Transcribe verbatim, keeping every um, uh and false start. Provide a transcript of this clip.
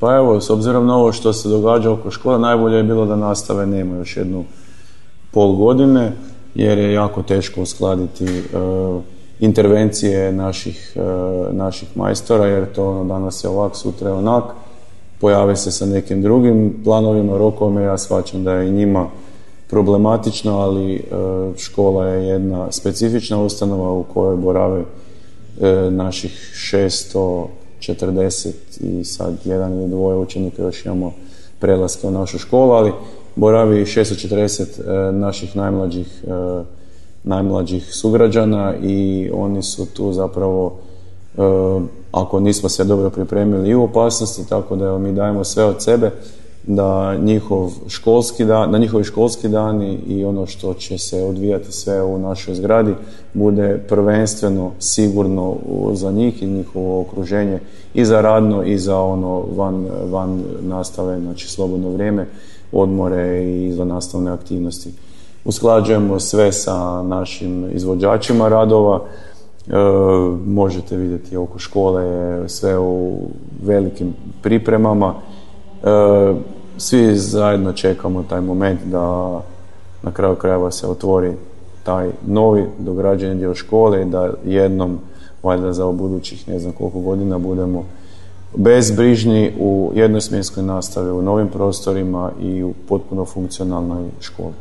Pa evo, s obzirom na ovo što se događa oko škola, najbolje je bilo da nastave nema još jednu pol godine, jer je jako teško uskladiti uh, intervencije naših, uh, naših majstora, jer to ono, danas je ovak, sutra je onak, pojave se sa nekim drugim planovima, rokovima. Ja shvaćam da je i njima problematično, ali uh, škola je jedna specifična ustanova u kojoj borave uh, naših šesto četrdeset i sad jedan ili dvoje učenika, još imamo prelaske u našu školu, ali boravi šesto četrdeset e, naših najmlađih, e, najmlađih sugrađana i oni su tu zapravo, e, ako nismo se dobro pripremili, i u opasnosti, tako da mi dajemo sve od sebe da njihov školski dan, da njihovi školski dani i ono što će se odvijati sve u našoj zgradi bude prvenstveno sigurno za njih i njihovo okruženje, i za radno i za ono van, van nastave, znači slobodno vrijeme, odmore i izvannastavne aktivnosti. Usklađujemo sve sa našim izvođačima radova. E, možete vidjeti oko škole je sve u velikim pripremama. E, svi zajedno čekamo taj moment da na kraju krajeva se otvori taj novi dograđeni dio škole i da jednom, valjda za budućih ne znam koliko godina, budemo bezbrižni u jednosmjenskoj nastavi, u novim prostorima i u potpuno funkcionalnoj školi.